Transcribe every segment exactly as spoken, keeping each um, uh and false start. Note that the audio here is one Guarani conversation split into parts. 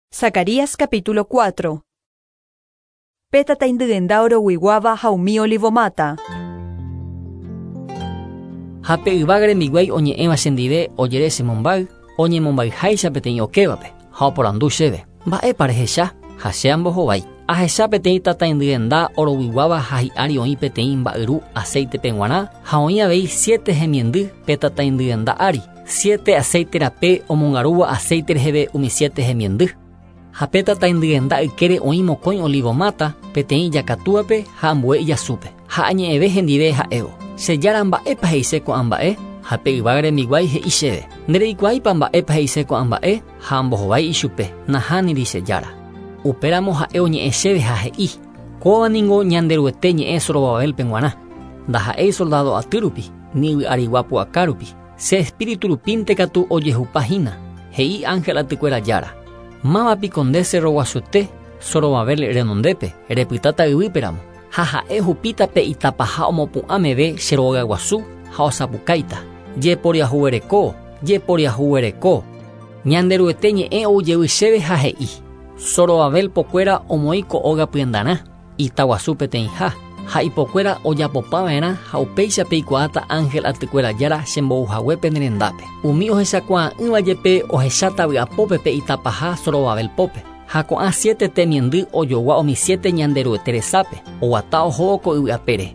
Zacarías capítulo cuatro. Pe tataindyenda oroguiguáva ha umi olivomata. Ha pe yvága rembiguái oñe'ẽva chendive ojere chemombáy, oñemombayháicha peteĩ okévape, ha oporandu chéve. Mba'épa rehecha? Ha che ambohovái. Ahecha peteĩ tataindyenda oroguiguáva ha hi'ári oĩ peteĩ mba'yru aceitepe g̃uarã ha oĩ avei siete hemiendy pe tataindyenda ári, siete aceite rape omongarúva aceite reheve umi siete hemiendy. Ha pe tataindyenda ykére oĩ mokõi olivomata peteĩ ijakatúape ha ambue ijasúpe. Ha añe'ẽve hendive ha'évo. Che jára mba'épa he'ise ko'ã mba'e? Ha pe yvága rembiguái he'i chéve. Ndereikuaáipa mba'épa he'ise ko'ã mba'e? Ha ambohovái ichupe. Nahániri che jára. Upéramo ha'e oñe'ẽ chéve ha he'i. Kóva ningo Ñanderuete ñe'ẽ Zorobabelpe g̃uarã. Ndaha'éi soldado aty rupi, ni yvy'arigua pu'aka rupi. Che espíritu rupínte katu ojehupahína. He'i ángel atykuéra jára. Mávapiko nde cerro guasuete Zorobabel renondépe repytáta yvýperamo. Ha ha'e hupíta pe itapaha omopu'ã meve che rogaguasu ha osapukáita. Jeporiahuvereko, jeporiahuvereko. Ñanderuete ñe'ẽ oujevy chéve ha he'i. Zorobabel pokuéra omoĩ ko óga pyendarã, itaguasu peteĩha, ha ipokuéra ojapopava'erã ha upéicha peikuaáta ángel atykuéra jára chembouhague pene rendápe. Umi ohechakuaa'ỹva jepe ohecháta vy'apópe pe itapaha Zorobabel pópe. Ha ko'ã siete temiendy ojogua umi siete Ñanderuete resápe, oguata ohóvo ko yvy'apére.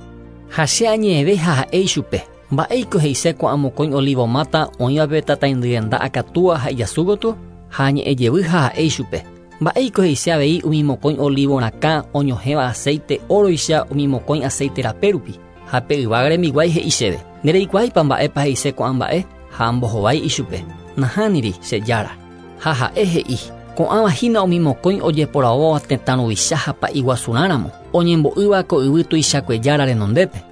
Ha che añe'ẽve ha ha'e ichupe. Mba'éiko he'ise ko'ã mokõi olivomata oĩvape tataindyenda akatúa ha ijasu gotyo? Ha añe'ẽjevy ha ha'e ichupe. Mba'éiko he'ise avei umi mokõi olivo rakã oñohẽva aceite óroicha umi mokõi aceite rape rupi. Ha pe yvága rembiguái he'i chéve. Ndereikuaáipa mba'épa he'ise ko'ã mba'e? Ha ambohovái ichupe. Nahániri che jára. Ha ha'e he'i. Ko'ãva hína umi mokõi ojeporavóva tetã ruvicha ha pa'iguasurãramo, oñembo'ýva ko yvy tuichakue jára renondépe.